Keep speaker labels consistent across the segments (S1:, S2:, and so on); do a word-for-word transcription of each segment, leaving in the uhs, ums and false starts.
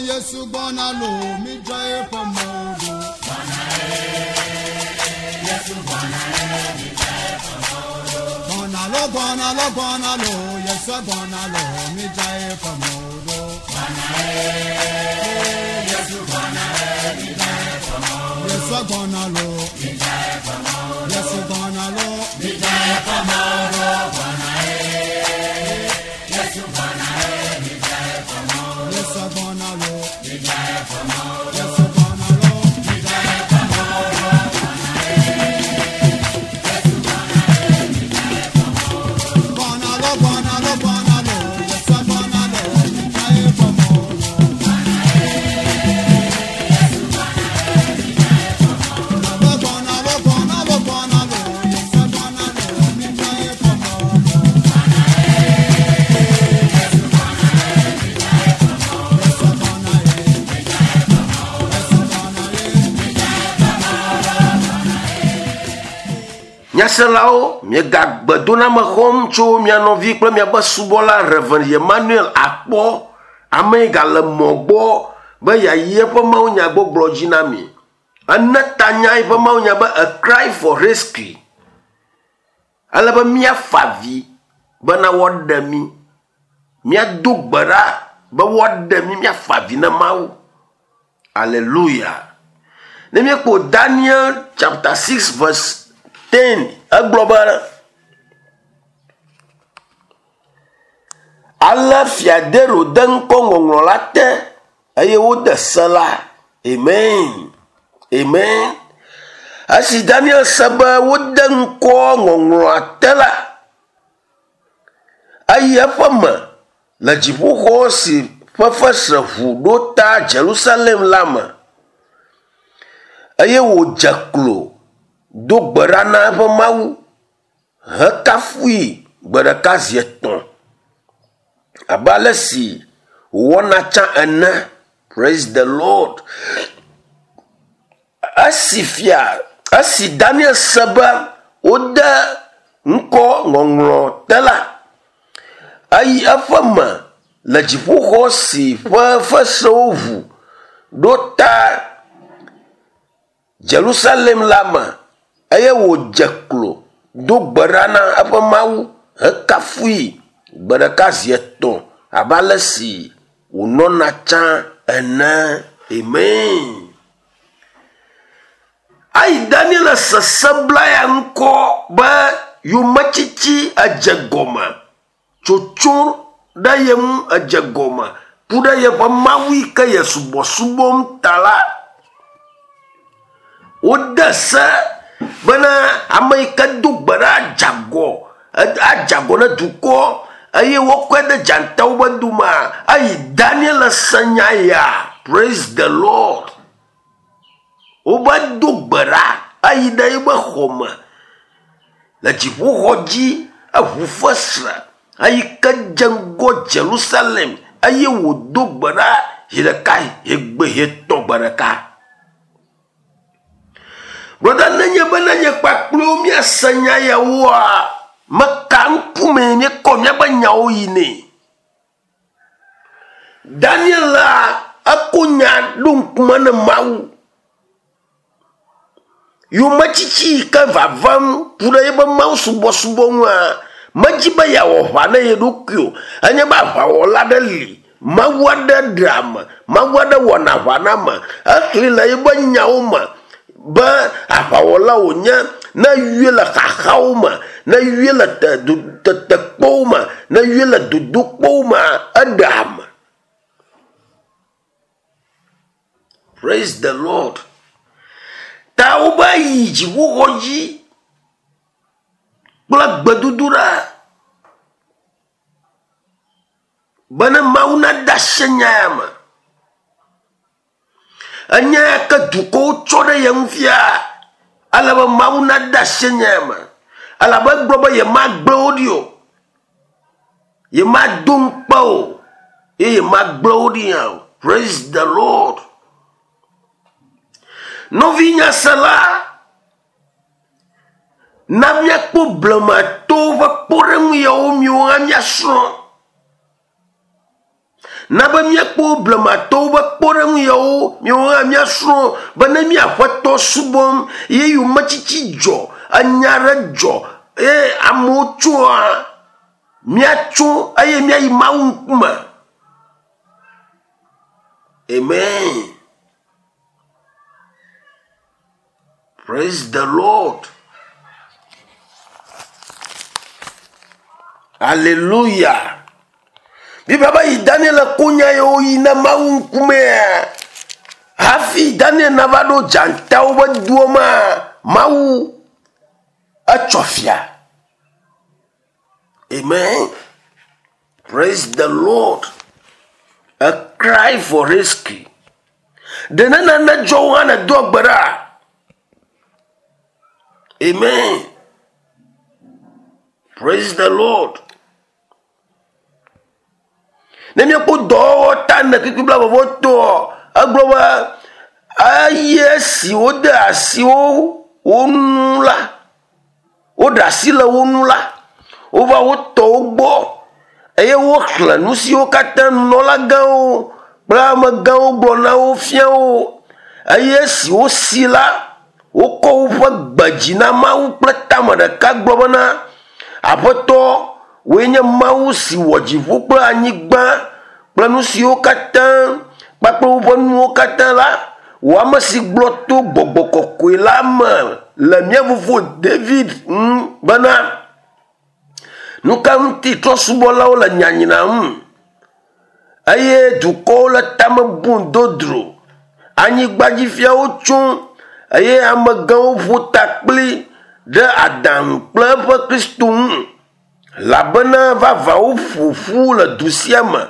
S1: Yesu gbɔna lo, mi dza eƒe mɔwo ɖo. Gbɔna lo, gbɔna lo, gbɔna lo, Yesu gbɔna lo, mi dza eƒe mɔwo ɖo. Yesu gbɔna lo, Yesu gbɔna lo, mi dza eƒe mɔwo ɖo. Yesu gbɔna lo, Yesu gbɔna lo, mi dza eƒe mɔwo ɖo. Gbɔna lo, gbɔna lo, gbɔna lo, Yesu gbɔna lo, mi dza eƒe mɔwo ɖo. Gbɔna lo, gbɔna lo, gbɔna lo, Yesu gbɔna lo, mi dza eƒe mɔwo ɖo. Yesu gbɔna ye, Yesu gbɔna ye, mi dza eƒe mɔwo ɖo.
S2: Nyaselawo, miegagbe xɔm tso mia nɔvi kple miaƒe subɔla Reverend Emmanuel Akpɔ, ame yi gale mɔ gbɔ be yeayi eƒe mawunyagbɔgblɔ dzi na mi. Ene tanya eƒe mawunya be a cry for rescue. Ale be míafa avi bena woaɖe mí. Míado gbe ɖa be woaɖe mí, míafa avi na Mawu. Hallelujah. Ne míekpɔ Daniel chapter six verse ten, egblɔ be ale fia Dario de ŋkɔ ŋɔŋlɔ la te eye wode se la. Amen. Amen. Esi Daniel se be wode ŋkɔ ŋɔŋlɔa te la, eyi eƒe me le dziƒoxɔ si ƒe fesre ʋu ɖo ta Jerusalem la me eye wòdze klo do gbe ɖa na eƒe Mawu hekafui gbe ɖeka zi etɔ̃ abe ale si wòwɔna tsã ene. Praise the Lord. Esi fia, esi Daniel se be wode ŋkɔ ŋɔŋlɔ te la, eyi eƒe me le dziƒoxɔ si ƒe fesrewo ʋu ɖo ta Jerusalem la me eye wòdze klo do gbe ɖa na eƒe Mawu hekafui gbe ɖeka zi etɔ̃ abe ale si wònɔna tsã ene. Amen. Ayi Daniel sese bla ya ŋkɔ be yometsitsi edze gɔme, tsotso ɖe ye ŋu edze gɔme ku ɖe yeƒe Mawu yi ke ye subɔsubɔm ta la, wode se bena ame yi ke do gbe ɖa adze agɔ, adze agɔ ne dukɔ eye wokɔe ɖe dzatawo be domea, eyi Daniel se nya ya. Praise the Lord. Wobe do gbe ɖa eyi ɖe eƒe xɔme le dziƒoxɔ dzi, eʋu fesre eyi ke dze ŋgɔ Jerusalem eye wòdo gbe ɖa zi ɖeka, zi gbe, zi etɔ̃ gbe ɖeka. Brɔda, nenye be nenye kpakpliwo míase nya yawoa, meka ŋkume míekɔ míaƒe nyawo yi nɛ. Daniel la, eko nya ɖo ŋkume ne Mawu. Yometsitsi yi ke vavam ku ɖe eƒe Mawu subɔsubɔ ŋua, medzi be yeawɔ ʋa ne ye ɖokui o. Enye be aʋawɔla aɖe li, Mawu aɖe ɖe ame, Mawu aɖe wɔna aʋa na ame. Exli le eƒe nyawo me be aʋawɔla wònye ne yɔe le xaxawo me, ne yɔe le tetekpɔwo me, ne yɔe le dodokpɔwo me, eɖe ame. Praise the Lord. Ta wobe yi dziƒoxɔ dzi kple gbedodoɖa bene Mawu nade asi nya ya me. Enya ya ke dukɔwo tsɔ ɖe ye ŋu fia, ale be Mawu nade asi nya ya me. Elabe egblɔ be yemagblẽ wo ɖi o, yemado ŋukpe o, eye yemagblẽ wo ɖi hã o. Praise the Lord. Nɔvi nyasela, na míakpɔ blematowo ƒe kpɔɖeŋu yawo miwo hã míasrɔ̃. Na be míakpɔ blematowo ƒe kpɔɖeŋu yawo miawo hã míasrɔ̃ be ne míaƒetɔ subɔm ye yometsitsi dzɔ, enya ɖe dzɔ eye amewo tsoa, míatso eye míayi Mawu ŋkume. Amen. Praise the Lord. Hallelujah. Biblia be yi Daniel ko nya yiwo yi na Mawu ŋkumea, hafi Daniel nava ɖo dzatawo be doa mea, Mawu etsɔ fia. Amen. Praise the Lord. A cry for rescue. Ɖe ne nane dzɔ wo hã nèdoa gbe ɖa. Amen. Praise the Lord. Ne míekpɔ dɔwɔwɔ ta ne kpikpi bla vɔvɔ toɔ, egblɔ be eye esi wode asi wo wo nu la, woɖe asi le wo nu la, wova wo tɔwo gbɔ eye woxlẽ nu siwo katã nunɔlagãwo kple amegãwo gblɔ na wo fia wo. Eye esi wosi la, wokɔ woƒe gbe dzi na Mawu kple tame ɖeka gblɔ bena, Aƒetɔ, wòe nye Mawu si wɔ dziƒo kple anyigba kple nu siwo katã kpakple woƒe nuwo katã la, wò ame si gblɔ to gbɔgbɔ kɔkɔe la me le mía fofo David ŋu bena, nu ka ŋuti trɔ̃subɔlawo le nyanyram eye dukɔwo le tame bum dodro, anyigbadzifiawo tso eye amegãwo ƒo ta kpli ɖe aɖaŋu kple eƒe Kristo ŋu, elabena vavã woƒo ƒu le du sia me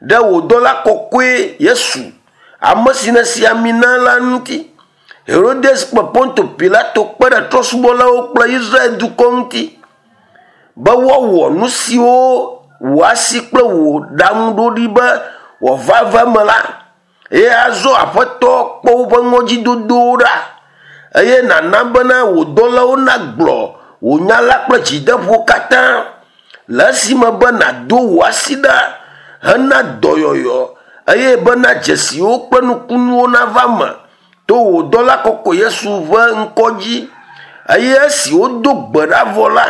S2: ɖe wò dɔla kɔkɔe Yesu, ame si nèsi ami na la ŋuti. Herodes kple Ponto Pilato kpe ɖe trɔ̃subɔlawo kple Israel dukɔ ŋuti be woawɔ nu siwo wò asi kple wò ɖaŋuɖoɖi be wòava va eme la. Eye azɔ Aƒetɔ kpɔ woƒe ŋɔdzidodowo ɖa eye nàna bena wò dɔlawo nagblɔ wò nya la kple dzideƒo katã le esime be nàdo wò asi ɖa hena dɔyɔyɔ eye bena dzesiwo kple nukunuwo nava eme to wò dɔla kɔkɔe Yesu ƒe ŋkɔ dzi. Eye esi wodo gbe ɖa vɔ la,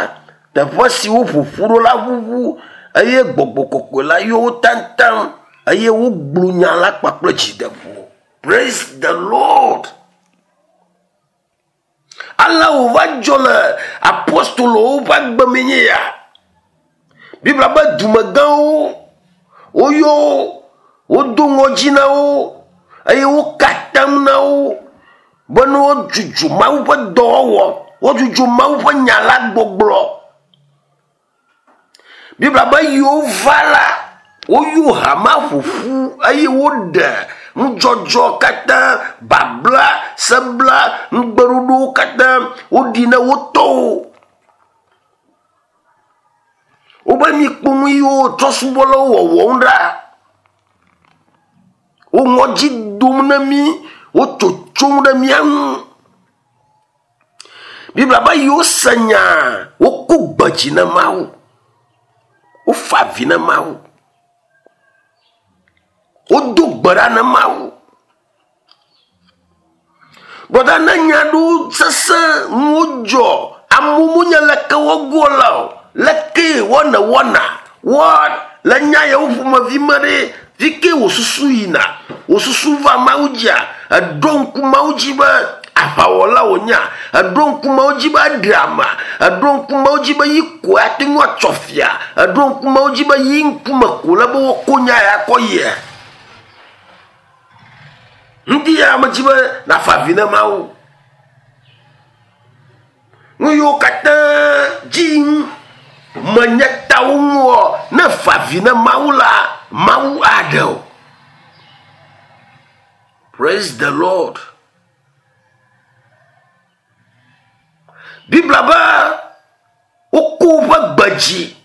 S2: teƒe si woƒo ƒu ɖo la ʋuʋu eye gbɔgbɔ kɔkɔe la yɔ wo taŋtaŋ eye wogblɔ nya la kpakple dzideƒo. Praise the Lord. Ale wòva dzɔ le apostolowo ƒe agbe me nye ya. Biblia be dumegãwo woyɔ wo, wodo ŋɔdzi na wo eye woka atam na wo be ne wodzudzɔ Mawu ƒe dɔwɔwɔ, wodzudzɔ Mawu ƒe nya la gbɔgblɔ. Biblia be yiwo va la, woyɔ hama ƒo ƒu eye woɖe nudzɔdzɔ katã, babla, sebla, nugbeɖoɖowo katã woɖi na wo tɔwo. Wobe mikpɔ nu yiwo trɔ̃subɔlawo wɔwɔm ɖa. Wo ŋɔdzi dom na mí, wotsotsom ɖe mía ŋu. Biblia be yiwo se nya, woko gbe dzi na Mawu. Wofa avi na Mawu. Wodo gbe ɖa na Mawu. Brɔda ne nya ɖewo sesẽ nuwo dzɔ, amewo menye leke woagoa la o, leke woane wɔna, woa le nya yawo ƒomevi me ɖe, fi ke wò susu yina, wò susu va Mawu dzia, eɖo ŋku Mawu dzi be aʋawɔla wònyea, eɖo ŋku Mawu dzi be eɖe ama, eɖo ŋku Mawu dzi be yi koe ate ŋu atsɔ fia, eɖo ŋku Mawu dzi be yi ŋkume ko le be woako nya ya kɔ yia. Ŋdi ya medzi be nàfa avi na Mawu. Nu yiwo katã dzi menye tawo ŋua, ne fa avi na Mawu la, Mawu aɖe o. Praise the Lord. Biblia be woko woƒe gbe dzi,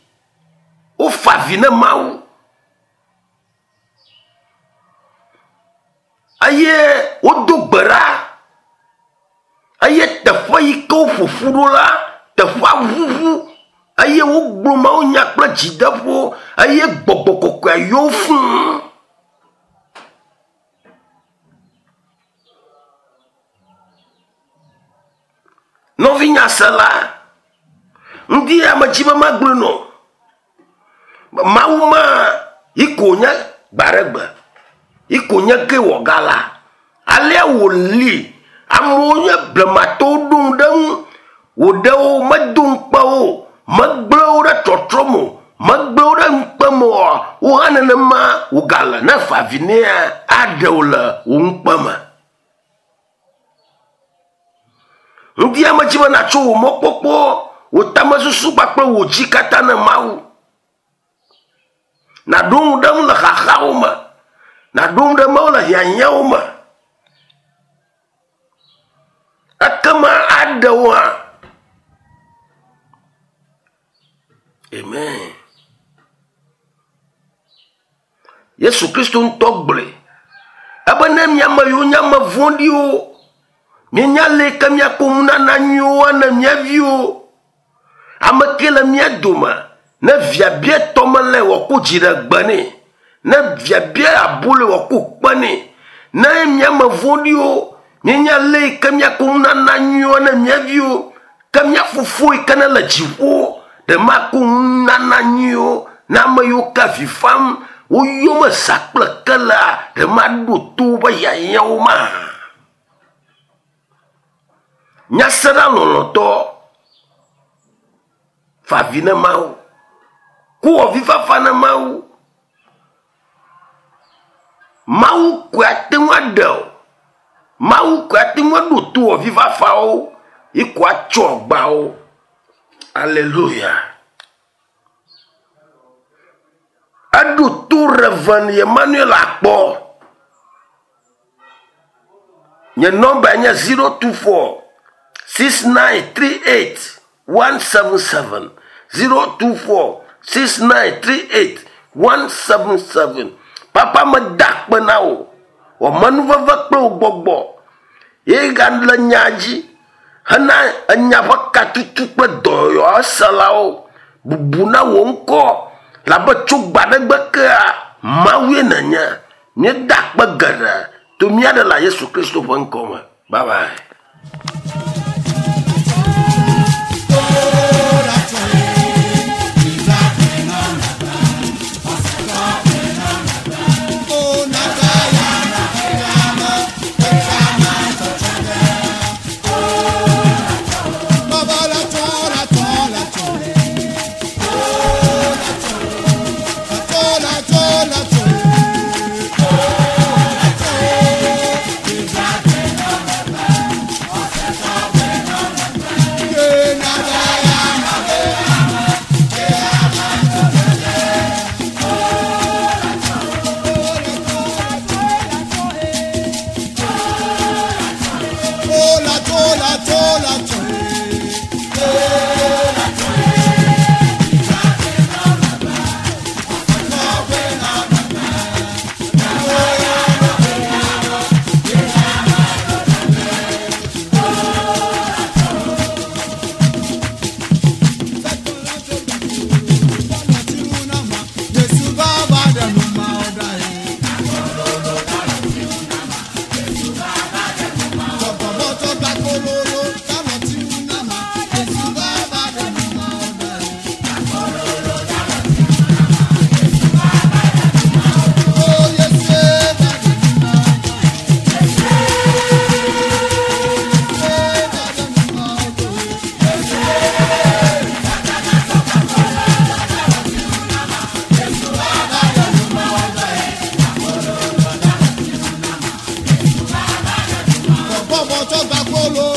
S2: wofa avi na Mawu. Eye wodo gbe ɖa. Eye teƒe yi ke woƒo ƒu ɖo la, teƒea ʋuʋu eye wogblɔ Mawu nya kple dzideƒo eye gbɔgbɔ kɔkɔea yɔ wo fũu. Nɔvi nyasela, ŋdi ame dzi be magblɔe nɔ. Mawu ma yi ko nye gbaɖegbe, yi ko nye ke wɔ ga la. Alea wòli, amewo nye blematɔwo ɖo ŋu ɖe ŋu, wòɖe wo, medo ŋukpe wo, megblẽ wo ɖe trɔtrɔ me o, megblẽ wo ɖe ŋukpe me oa, wo hã nenema wògale ne fa avi nɛa, aɖe wo le wò ŋukpe me. Ŋdi ame dzi be natso wò mɔkpɔkpɔ, wò tamesusu kpakple wò dzi katã ne Mawu. Nàɖo ŋu ɖe ŋu le xaxawo me, nàɖo ŋu ɖe Mawu le hiahiãwo me. Ekema aɖe wo hã. Amen. Yesu Kristo ŋutɔ gblɔe ebe ne miame yiwo nye ame vɔ̃ɖiwo, mienya le ke miakpɔ nunana nyuiwo ane mia viwo. Ame ke le mia dome, ne via bia tɔme le wòako dzi ɖe gbe nɛ, ne via bia abolo wòako kpe nɛ, ne miame vɔ̃ɖiwo, mienya le ke miakpɔ nunana nyuiwo ane mia viwo, ke mia fofo yi ke ne le dziƒo, ɖe makɔ nunana nyuiwo na ame yiwo ke avi fam, woyɔ me zã kple ke la, ɖe maɖo to woƒe hiahiãwo ma. Nyasela lɔlɔ̃tɔ, fa avi ne Mawu, ku avifafa ne Mawu. Mawu koe ate ŋu aɖe o. Mawu koe ate ŋu aɖo to avifafawo, yi ko atsɔ agbawo. Alléluia. Eɖo to Reverend Emmanuel Akpɔ. Nye nɔmba nye zero two four six nine three eight one seven seven. zero two four six nine three eight one seven seven. Papa meda akpe na wò. Wò amenuveve kple wò gbɔgbɔ ye gale nya dzi hena enya ƒe katutu kple dɔyɔselawo. Bubu na wò ŋkɔ labe tso gbaɖegbe kea Mawue nenye. Míeda akpe geɖe to mía ɖela Yesu Kristo ƒe ŋkɔ me. Bye bye.
S1: Bọ́bọ̀ tó gbà kóló.